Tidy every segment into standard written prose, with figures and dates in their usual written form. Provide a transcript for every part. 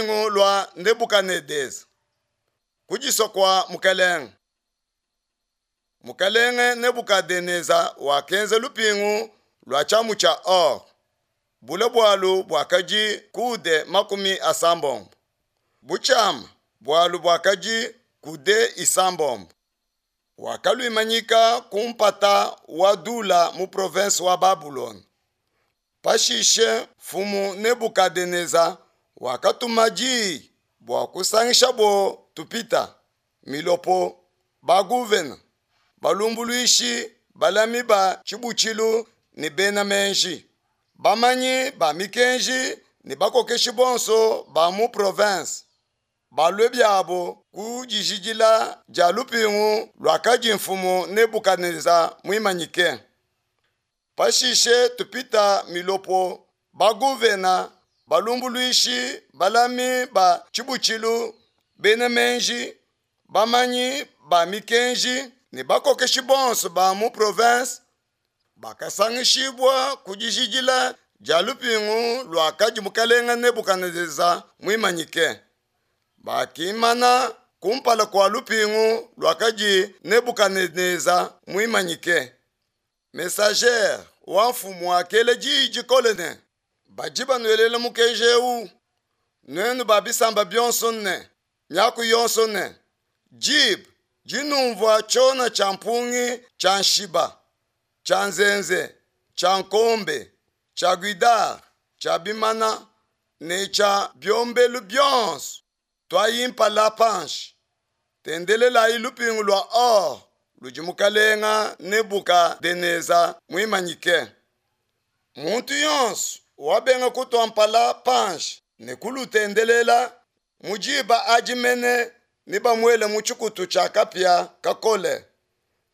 Lupingu lua Nebukanedesa. Kudisua kua mukelenge. Mukelenge Nebukadenesa wakenza lupingu lua tshiamu tshia or, bule bualu buakadi coude 70, butshiama bualu buakadi coude 6. Wakaluimanyika ku mpata wa Dula mu province wa Babulona. Pashishe mfumu Nebukadenesa wakatuma diyi bua kusangishabo tupita, milopo, baguvena, balumbuluishi, balami ba tshibutshilu ne bena meji, bamanyi ba mikenji ne bakokeshi bonso ba mu province, balue biabo ku dijidila dia lupingu luakadi mfumu Nebukadenesa muimanyike. Pashishe tupita milopo, baguvena, balumbuluishi, balami ba tshibutshilu, bena meji, bamanyi ba mikenji ne bakokeshi bonso ba mu province bakasangishibua ku dijidila dia lupingu luakadi mukelenge Nebukadenesa muimanyike. Bakimana kumpala kua lupingu luakadi Nebukadenesa muimanyike. Messager wa mfumu wakela diyi dikole ne, badi banuelela mukenji eu, nuenu ba bisamba bionso ne miaku yonso ne, diba dinumvua tshiona tshia mpungi tshia nshiba, tshia nzenze, tshia nkombe, tshia guidare, tshia bimana ne tshia biombelu bionso, tuayi mpala panshi, tendelelayi lupingu lua or ludi mukalenga Nebukadenesa muimanyike. Muntu yonso wabenga kutua mpala panshi ne kulutendelela, mu diba adi mene nebamuele mu tshikutu tshia kapia kakole.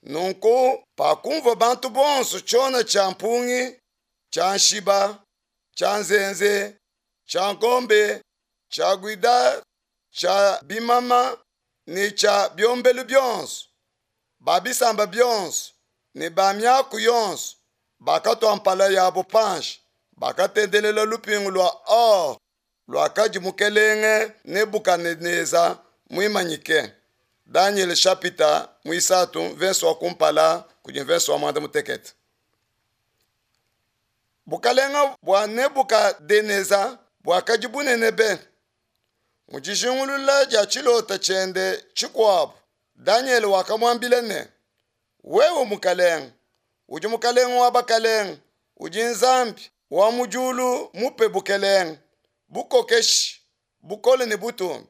Nunku pakumvua bantu bonso tshiona tshia mpungi, tshia nshiba, tshia nzenze, tshia nkombe, tshia guidare, tshia bimama ne tshia biombelu bionso, ba bisamba bionso ne ba miaku yonso bakatua mpala yabo panshi, bakatendelela lupingu lua or luakadi mukelenge Nebukadenesa muimanyike. Daniel chapitre 3 verse wa kumpala kudi verse wa 16. Bukalenga bua Nebukadenesa buakadi bunene be. Mu dijingulula dia tshilota tshiende tshikuabu, Daniel wakamuambila ne, wewe mukalenge, udi mukalenge wa bakalenge, udi Nzambi wa mu diulu mupe bukelenge, bukokeshi, bukole ne butumbi.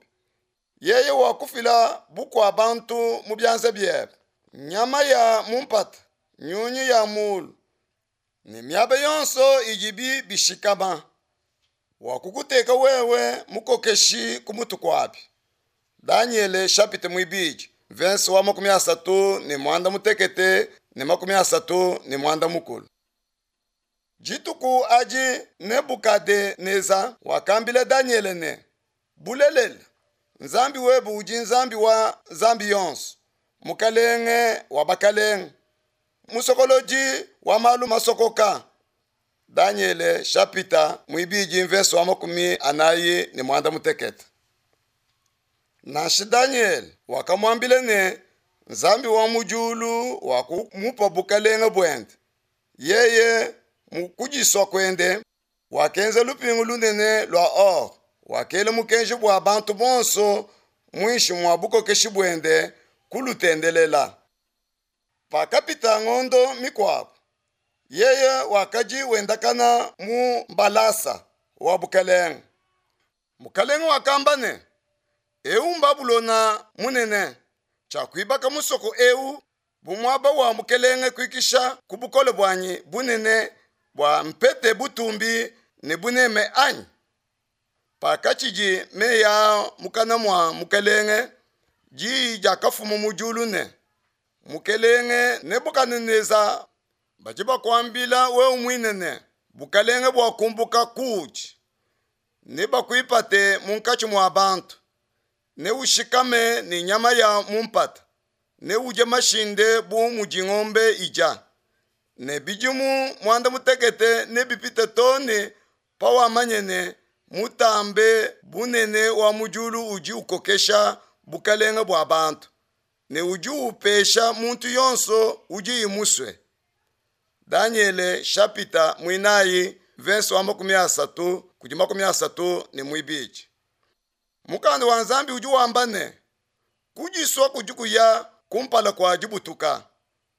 Yeye wakufila bukua bantu mu bianza biebe, nyama ya mu mpata, nyunyi ya mulu, ne miaba yonso idibi bishikama. Wakukuteka wewe mukokeshi ku mutu kuabi. Daniele chapitre 2 verse wa 36 ne 39. Dituku adi Nebukadenesa wakambila Daniele ne, bulelela, Nzambi webe udi Nzambi wa nzambi yonso, mukalenge wa bakalenge, musokolodi wa malu masokoka. Daniele chapitre 2 verse wa 46. Nansha Daniel wakamuambila ne, Nzambi wa mu diulu wakumupa bukalenge buende. Yeye mu kudisua kuende wakenza lupingu lunene lua or, wakela mukenji bua bantu bonso muinshi mua bukokeshi buende kulutendelela. Pakapita ngondo mikuabu, yeye wakadi wendakana mu mbalasa wa bukalenge. Mukalenge wakamba ne, eu Babulona munene, tshiakuibaka musoko eu bu muaba wa mukelenge kuikisha ku bukole buanyi bunene bua mpete butumbi ne buneme anyi? Pakatshidi meyi aa mukana mua mukelenge, diyi diakafuma mu diulu ne, mukelenge Nebukadenesa, badi bakuambila wewe muine ne, bukalenge buakumbuka kuudi, nebakuipate munkatshi mua bantu, neushikame ne nyama ya mu mpata, neudie mashinde bu mudi ngombe idia, ne bidimu 18 nebipite too ne pawamanye ne. Mutambe Bunene wa mu diulu udi ukokesha bukalenge bua bantu ne udi upesha muntu yonso udiye musue. Danyele shapita muinayi mvese wa 30 kudi 32. Mukanda wa Nzambi udi wamba ne, kudisua kudi kuya kumpala kua dibutuka,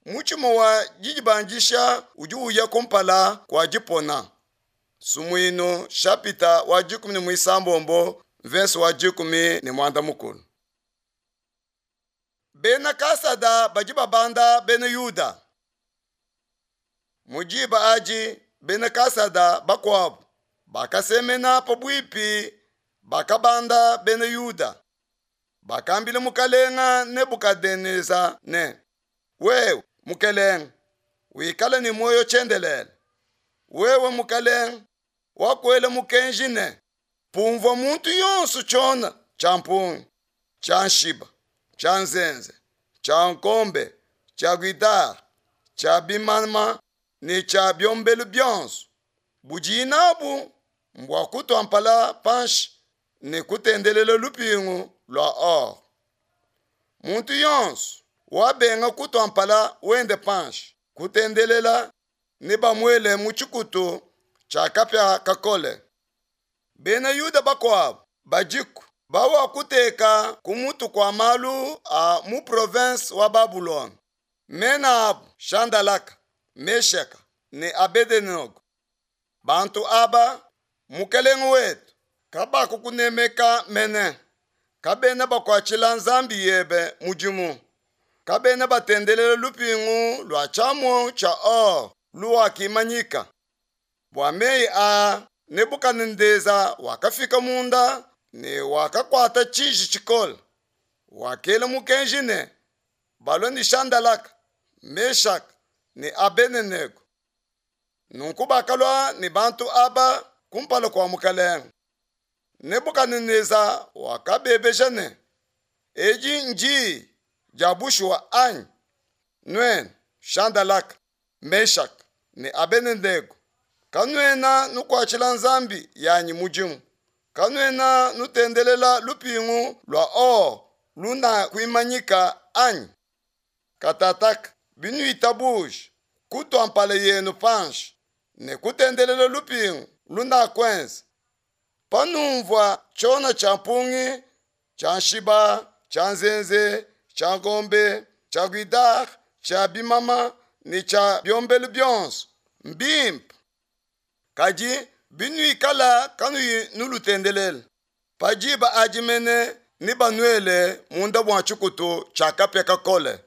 mutshima wa didibandisha udi uya kumpala kua dipona. Sumuinu shapita wa 16 mvese wa 13. Bena Kasada badi babanda bena Yuda. Mu diba adi bena Kasada bakuabu bakasemena pabuipi bakabanda bena Yuda. Bakambila mukalenga Nebukadenesa ne, wewe mukelenge, wikale ne muoyo tshiendelele. Wewe mukelenge, wakuela mukenji ne, pumvua muntu yonso tshiona tshia mpungi, tshia nshiba, tshia nzenze, tshia nkombe, tshia guitare, tshia bimama ne tshia biombelu bionso budiyi nabu mbua kutua mpala panshi ne kutendelela lupingu lua or. Muntu yonso wabenga kutua mpala wende panshi kutendelela ne bamuele mu tshikutu tshia kapia kakole. Bena Yuda bakuabu badiku bawakuteka ku mutu kua malu a mu province wa Babulona. Mena abu Shandalaka, Meshaka ne Abedenego. Bantu aba mukelenge wetu kabakukunemeka mene, kabena bakuatshila nzambi yebe mudimu, kabena batendelela lupingu lua tshiamu tshia or luwakimanyika. Bua meyi aa Nebukadneza wakafika munda ne wakakuata tshiji tshikole. Wakela mukenji ne balue ne Shandalaka, Meshaka ne Abedenego. Nunku bakalua ne bantu aba kumpala kua mukalenge. Nebukadneza wakabebeja ne, edi ndi dia bushuwa anyi? Nuenu Shandalaka, Meshaka ne Abedenego, kanuena nukuatshila nzambi yanyi mudimu, kanuena nutendelela lupingu lua or lunakuimanyika anyi? Katataka binuitabuja kutua mpala yenu panshi ne kutendelela lupingu lunakuenza, panumvua tshiona tshia mpungi, tshia nshiba, tshia nzenze, tshia ngombe, tshia guidare, tshia bimama ne tshia biombelu bionso, mbimpe. Kadi binuikala kanuyi nulutendelela, pa diba adi mene nebanuele munda mua tshikutu tshia kapia kakole.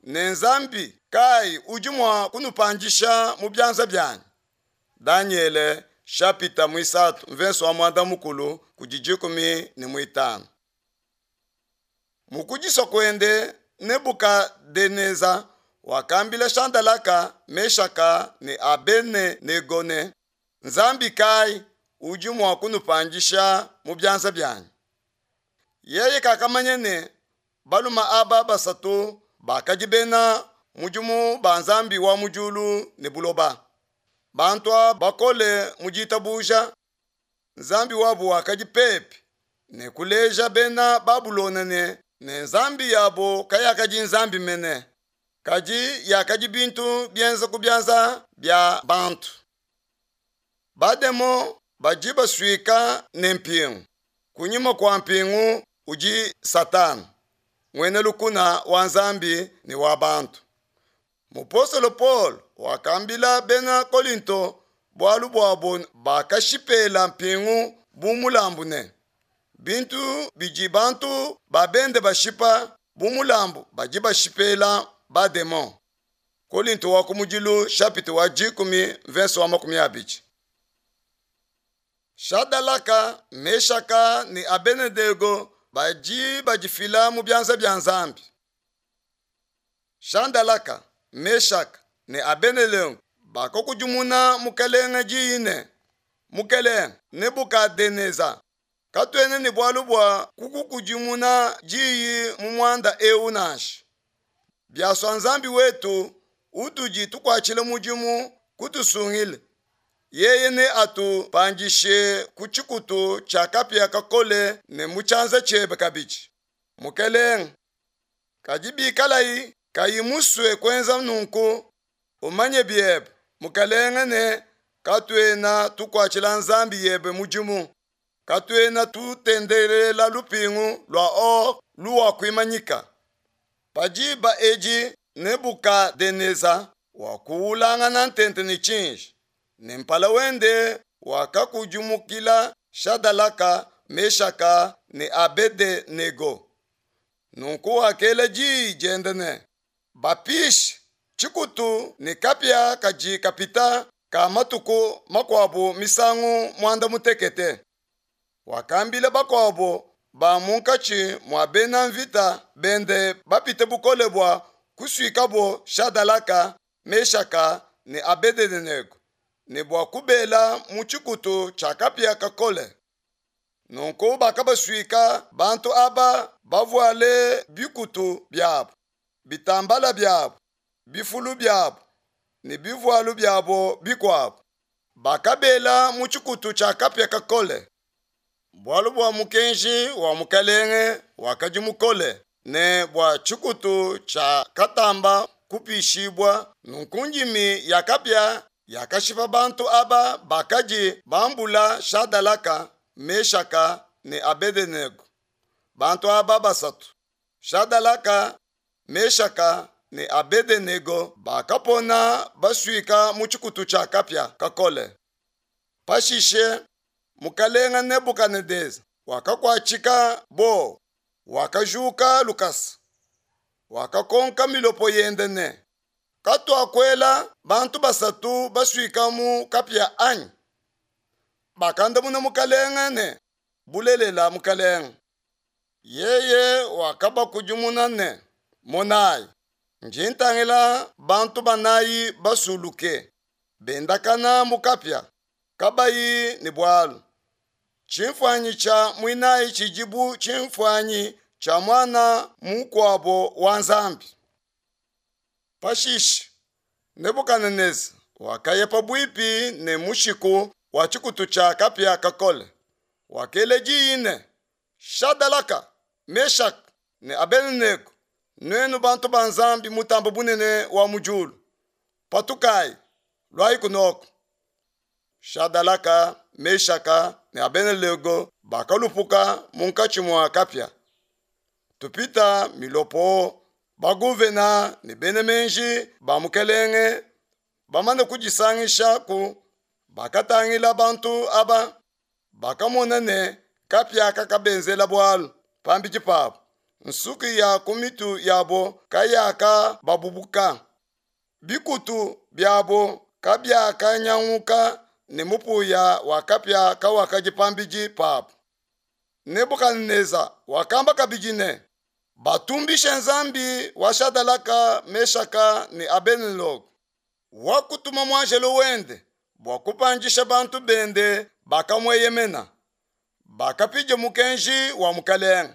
Ne Nzambi kayi udi mua kunupandisha mu bianza bianyi? Danyele shapita muisatu mvese wa muanda mukulu kudi 15. Mu kudisua kuende Nebukadenesa wakambila Shandalaka, Meshaka ne Abedenego ne, Nzambi kayi udi mua kunupandisha mu bianza bianyi? Yeye kakamanya ne baluma aba basatu bakadi bena mudimu ba Nzambi wa mu diulu ne buloba. Bantu aba bakole mu ditabuja, Nzambi wabu wakadi pepi ne kuleja bena Babulona ne nzambi yabo kayakadi nzambi mene, kadi yakadi bintu bienza ku bianza bia bantu. Bademo badi basuika ne mpingu, kunyima kua mpingu udi Satana, muena lukuna wa Nzambi ne wa bantu. Mupostolo Paul wakambila bena Kolinto bualu buabo bakashipela mpingu bu mulambu ne, bintu bidi bantu ba bende bashipa bu mulambu badi bashipela bademon. Kolinto wa kumudilu chapitre wa 10 verse wa 20. Shadalaka, Meshaka ne Abedenego badi badifila mu bianza bia Nzambi. Shandalaka, Meshaka ne Abedenego bakakudimuna mukelenge diyi ne, Mukelenge Nebukadenesa, katuena ne bualu bua kukukudimuna diyi mu muanda eu nansha. Biasua Nzambi wetu utudi tukuatshila mudimu kutusungile. Yeye neatupandishe ku tshikutu tshia kapia kakole ne mu tshianza tshiebe kabidi, mukelenge. Kadi bikalayi kayi musue kuenza nunku, umanye biebe, mukelenge, ne katuena tukuatshila nzambi yebe mudimu, katuena tutendelela lupingu lua or luwakuimanyika. Pa diba edi Nebukadenesa wakuwulangana ntente ne tshiji, ne mpala wende wakakudimukila Shadalaka, Meshaka ne Abedenego. Nunku wakela diyi diende ne, Bapishe tshikutu ne kapia kadi kapita ka matuku makuabu misangu muanda mutekete. Wakambila bakuabu ba munkatshi mua bena mvita bende bapite bukole bua kusuikabo Shadalaka, Meshaka ne Abedenego ne bua kubela mu tshikutu tshia kapia kakole. Nunku bakabasuika bantu aba bavuale bikutu biabu, bitambala biabu, bifulu biabu ne bivualu biabo bikuabu. Bakabela mu tshikutu tshia kapia kakole. Bualu bua mukenji wa mukelenge wakadi mukole ne bua tshikutu tshiakatamba kupishibua, nunku ndimi ya kapia yakashipa bantu aba bakadi bambula Shadalaka, Meshaka ne Abedenego. Bantu aba basatu, Shadalaka, Meshaka ne Abedenego bakapona basuika mu tshikutu tshia kapia kakole. Pashishe mukalenga Nebukadenesa wakakuatshika buowa, wakajuka lukasa, wakakonka milopo yende ne, Katuakuela bantu basatu basuika mu kapia anyi? Bakandamuna mukalenga ne, Bulelela mukalenga. Yeye wakabakudimuna ne, Monayi, ndi ntangila bantu banayi basuluke, bendakana mu kapia, kabayi ne bualu. Tshimfuanyi tshia muinayi tshidi bu tshimfuanyi tshia muana mukuabo wa Nzambi. Pashishe Nebukadenesa wakaya pabuipi ne mushiku wa tshikutu tshia kapia kakole, wakela diyi ne, Shadalaka, Meshaka ne Abedenego, nuenu bantu ba Nzambi Mutambe Bunene wa mu diulu, patukayi, luayi kunoko. Shadalaka, Meshaka ne Abedenego bakalupuka munkatshi mua kapia. Tupita milopo, baguvena ne bena meji ba mukelenge bamane kudisangisha ku bakatangila bantu aba, bakamona ne kapia kakabenzela bualu pambidi pabu, nsuki ya ku mitu yabo kayakababubuka, bikutu biabo kabiakanyanguka ne mupuya wa kapia kawakadi pambidi pabu. Nebukadenesa wakamba kabidi ne, Batumbishe Nzambi wa Shadalaka, Meshaka ne Abedenego, wakutuma muanjelo wende bua kupandisha bantu bende bakamueyemena, bakapidia mukenji wa mukelenge,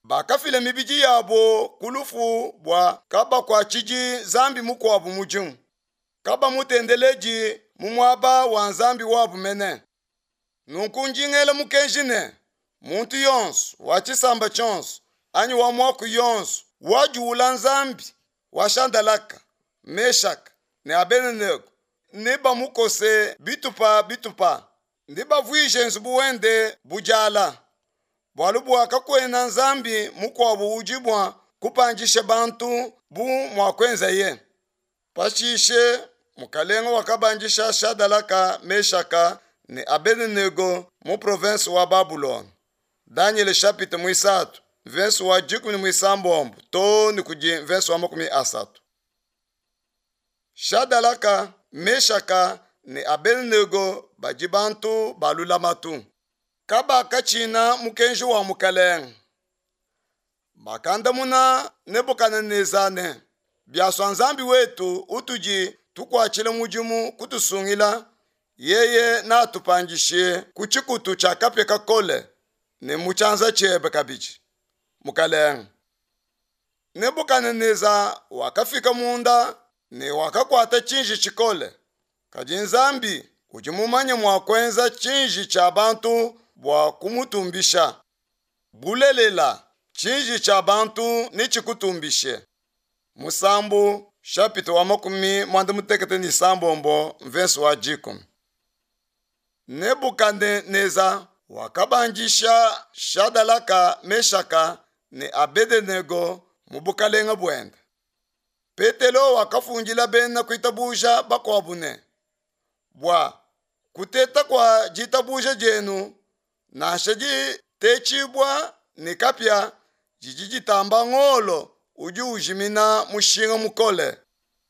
bakafila mibidi yabo ku lufu bua kabakuatshidi nzambi mukuabu mudimu, kabamutendeledi mu muaba wa Nzambi wabu mene. Nunku ndi ngela mukenji ne, muntu yonso wa tshisamba tshionso anyi wa muaku yonso wajuula Nzambi wa Shadalaka, Meshaka ne Abedenego nebamukose bitupa bitupa, nebavuije nzubu wende bu diala, bualu bua kakuena nzambi mukuabu udi mua kupandisha bantu bu muakuenzaye. Pashishe mukalenge wakabandisha Shadalaka, Meshaka ne Abedenego mu province wa Babulona. Danyele chapitre muisatu mvese wa 16 too ne kudi mvese wa 30. Shadalaka, Meshaka ne Abedenego badi bantu ba lulamatu. Kabakatshina mukenji wa mukalenge. Bakandamuna Nebukadenesa ne, Biasua Nzambi wetu utudi tukuatshila mudimu kutusungila, yeye natupandishe ku tshikutu tshia kapia kakole ne mu tshianza tshiebe kabidi, mukalenge. Nebukadenesa wakafika munda ne wakakuata tshiji tshikole. Kadi Nzambi Udi mumanye mua kuenza tshinji tshia bantu bua kumutumbisha. Bulelela, tshinji tshia bantu netshikutumbishe. Musambu chapitre wa 96 mvese wa dikumi. Nebukadenesa wakabandisha Shadalaka, Meshaka ne Abedenego mu bukalenge buende. Petelo wakafundila bena kuitabuja bakuabu ne, Bua kuteta kua ditabuja dienu, nansha ditetshibua ne kapia, didi ditamba ngolo udi ujimina mushinga mukole,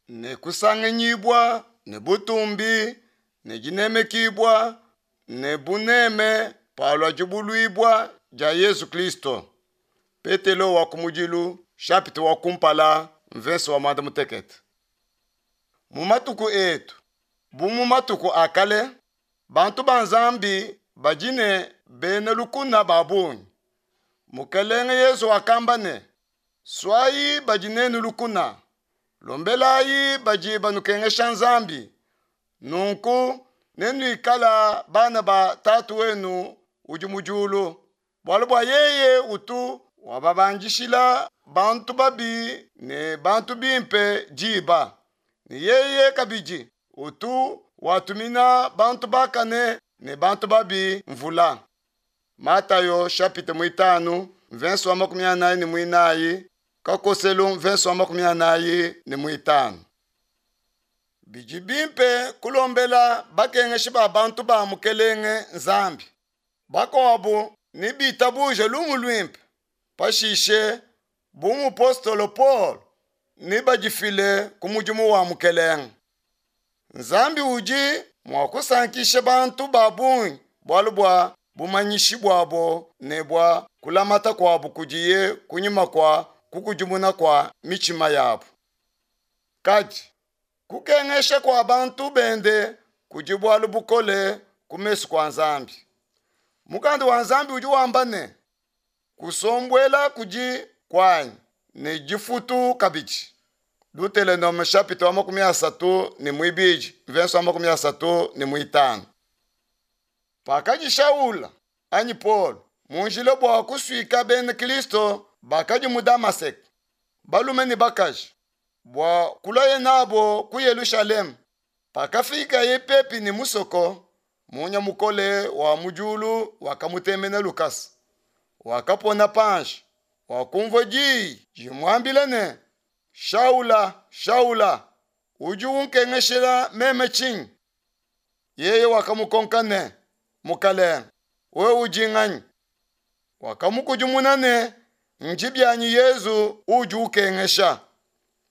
ne kusanganyibua ne butumbi ne dinemekibua ne buneme palua dibuluibua dia Yezu Kristo. Petelo wa kumudilu chapitre wa kumpala mvese wa muanda mutekete. Mu matuku etu, bu mu matuku a kale, bantu ba Nzambi badi ne bena lukuna ba bungi. Mukelenge Yezu wakamba ne, Suayi badi nenu lukuna, lombelayi badi banukengesha Nzambi, nunku nenuikala bana ba Tatu wenu udi mu diulu, bualu bua yeye utu wababandishila bantu babi ne bantu bimpe diba, ne yeye kabidi utu watumina bantu bakane ne bantu babi mvula. Matayo chapitre muitanu mvese wa 44 kakoselu mvese wa 45. Bidi bimpe kulombela bakengeshi ba bantu ba Mukelenge Nzambi. Bakuabu ne bitabuje lumu luimpe. Pashishe bu mupostolo Paul ne badifile ku mudimu wa Mukelenge. Nzambi udi mua kusankisha bantu ba bungi bualu bua bumanyishi buabo ne bua kulamata kuabo kudiye kunyima kua kukudimuna kua mitshima yabo. Kadi kukengesha kua bantu bende kudi bualu bukole ku mesu kua Nzambi. Mukanda wa Nzambi udi wamba ne, kusombuela kudi kuanyi ne difutu kabidi. Deuteronome chapitre wa 32 verse wa 35. Pakadi Shaula anyi Paul mu njila bua kusuika bena Kristo bakadi mu Damaseke, balume ne bakaji, bua kuluaye nabo ku Yelushalema. Pakafikaye pepi ne musoko, munya mukole wa mu diulu wakamutemena lukasa. Wakapona panshi, wakumvua diyi dimuambila ne, Shaula, Shaula, udi unkengeshela meme tshinyi? Yeye wakamukonka ne, Mukalenge, wewe udi nganyi? Wakamukudimuna ne, Ndi bianyi Yezu udi ukengesha.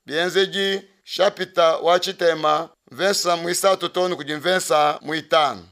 Bienzedi chapitre wa tshitema mvesa muisatu too ne kudi mvesa muitanu.